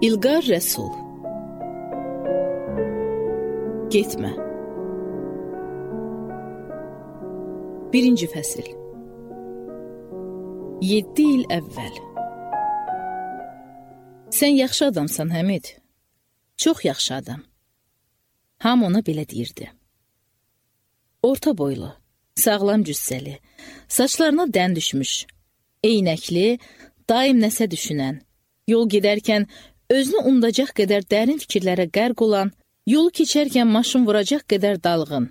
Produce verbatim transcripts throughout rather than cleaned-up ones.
İlqar Rəsul. Getmə. Birinci fəsil. Yeddi il əvvəl. Sən yaxşı adamsan, Həmid. Çox yaxşı adam. Ham ona belə deyirdi. Orta boylu, sağlam cüssəli, saçlarına dən düşmüş, eynəkli, daim nəsə düşünən, yol gedərkən özünü unudacaq qədər dərin fikirlərə qərq olan, yolu keçərkən maşın vuracaq qədər dalğın,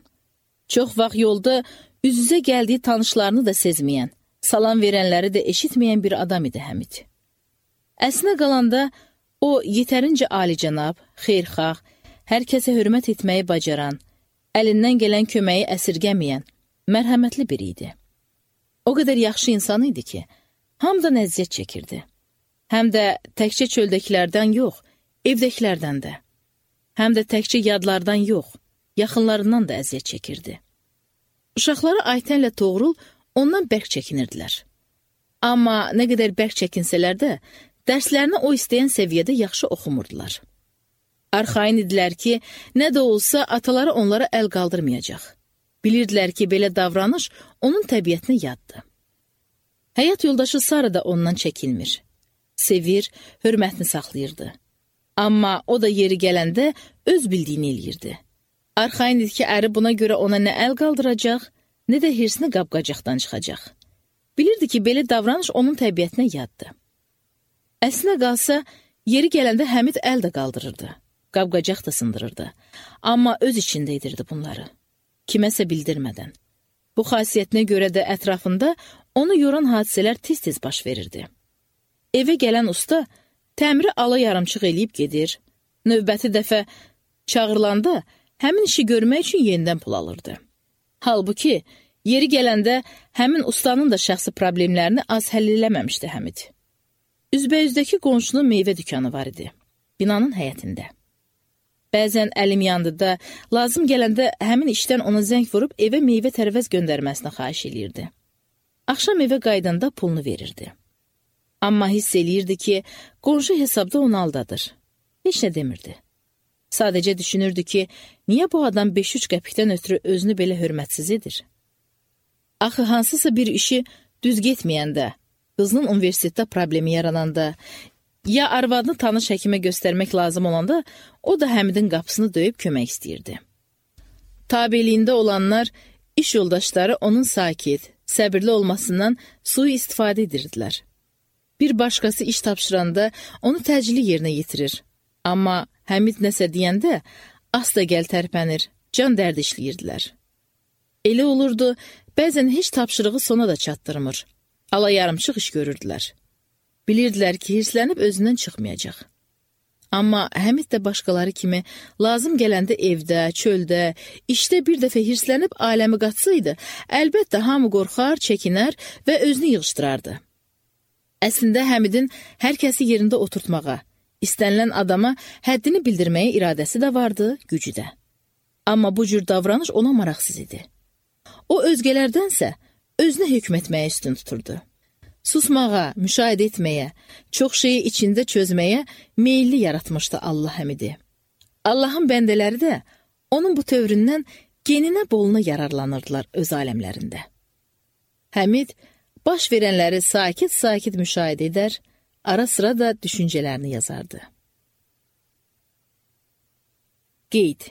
çox vaxt yolda üz-üzə gəldiyi tanışlarını da sezməyən, salam verənləri də eşitməyən bir adam idi Həmid. Əslinə qalanda o yetərincə alicənab, xeyirxah, hər kəsə hörmət etməyi bacaran, əlindən gələn köməyi əsirgəməyən, mərhəmətli biri idi. O qədər yaxşı insan idi ki, hamıdan əziyyət çəkirdi. Həm də təkcə çöldəkilərdən yox, evdəkilərdən də. Həm də təkcə yadlardan yox, yaxınlarından da əziyyət çəkirdi. Uşaqları Aytənlə Toğrul ondan bərk çəkinirdilər. Amma nə qədər bərk çəkinsələr də, dərslərini o istəyən səviyyədə yaxşı oxumurdular. Arxain idilər ki, nə də olsa ataları onlara əl qaldırmayacaq. Bilirdilər ki, belə davranış onun təbiətinə yaddır. Həyat yoldaşı Sara da ondan çəkinmir. Sevir, hörmətini saxlayırdı. Amma o da yeri gələndə öz bildiyini eləyirdi. Arxain idi ki, əri buna görə ona nə əl qaldıracaq, nə də hirsini qapqacaqdan çıxacaq. Bilirdi ki, belə davranış onun təbiətinə yaddır. Əslinə qalsa, yeri gələndə Həmid əl də qaldırırdı, qapqacaq da sındırırdı. Amma öz içində edirdi bunları, kiməsə bildirmədən. Bu xasiyyətinə görə də ətrafında onu yoran hadisələr tez-tez baş verirdi. Evə gələn usta təmiri ala yarımçıq eləyib gedir, növbəti dəfə çağırılanda həmin işi görmək üçün yenidən pul alırdı. Halbuki, yeri gələndə həmin ustanın da şəxsi problemlərini az həll eləməmişdi Həmid. Üzbəüzdəki qonşunun meyvə dükanı var idi, binanın həyətində. Bəzən əlim yandı da, lazım gələndə həmin işdən ona zəng vurub evə meyvə tərəvəz göndərməsini xahiş eləyirdi. Axşam evə qaydanda pulunu verirdi. Amma hiss eləyirdi ki, qonşu hesabda onu aldadır. Heç nə demirdi. Sadəcə düşünürdü ki, niyə bu adam beş üç qəpikdən ötürü özünü belə hörmətsiz edir? Axı hansısa bir işi düz getməyəndə, qızının universitetdə problemi yarananda, ya arvadını tanış həkimə göstərmək lazım olanda, o da Həmidin qapısını döyüb kömək istəyirdi. Tabeliyində olanlar, iş yoldaşları onun sakit, səbirli olmasından sui-istifadə edirdilər. Bir başqası iş tapşıranda onu təcili yerinə yetirir. Amma Həmid nəsə deyəndə, asta gəl tərpənir, can dərd işləyirdilər. Elə olurdu, bəzən heç tapşırığı sona da çatdırmır. Ala yarımçıq iş görürdülər. Bilirdilər ki, hirslənib özündən çıxmayacaq. Amma Həmid də başqaları kimi lazım gələndə evdə, çöldə, işdə bir dəfə hirslənib aləmi qatsaydı, əlbəttə hamı qorxar, çəkinər və özünü yığışdırardı. Əslində Həmidin hər kəsi yerində oturtmağa, istənilən adama həddini bildirməyə iradəsi də vardı, gücü də. Amma bu cür davranış ona maraqsız idi. O özgələrdənsə özünə hökm etməyə üstün tuturdu. Susmağa, müşahidə etməyə, çox şeyi içində çözməyə meyilli yaratmışdı Allah Həmidi. Allahın bəndələri də onun bu tövründən geninə boluna yararlanırdılar öz aləmlərində. Həmid baş verənləri sakit-sakit müşahidə edər, ara sıra da düşüncələrini yazardı. Qeyd.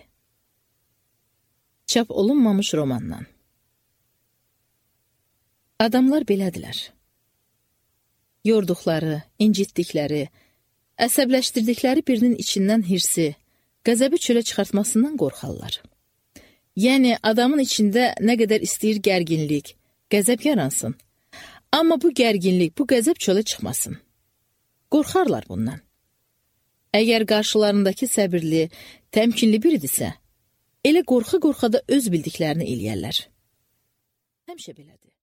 Çap olunmamış romandan. Adamlar belədilər. Yorduqları, incitdikləri, əsəbləşdirdikləri birinin içindən hirsi, qəzəbi çölə çıxartmasından qorxarlar. Yəni, adamın içində nə qədər istəyir gərginlik, qəzəb yaransın. Amma bu gərginlik, bu qəzəb çölə çıxmasın. Qorxarlar bundan. Əgər qarşılarındakı səbirli, təmkinli biridirsə, elə qorxa-qorxa da öz bildiklərini eləyərlər. Həmişə belədir.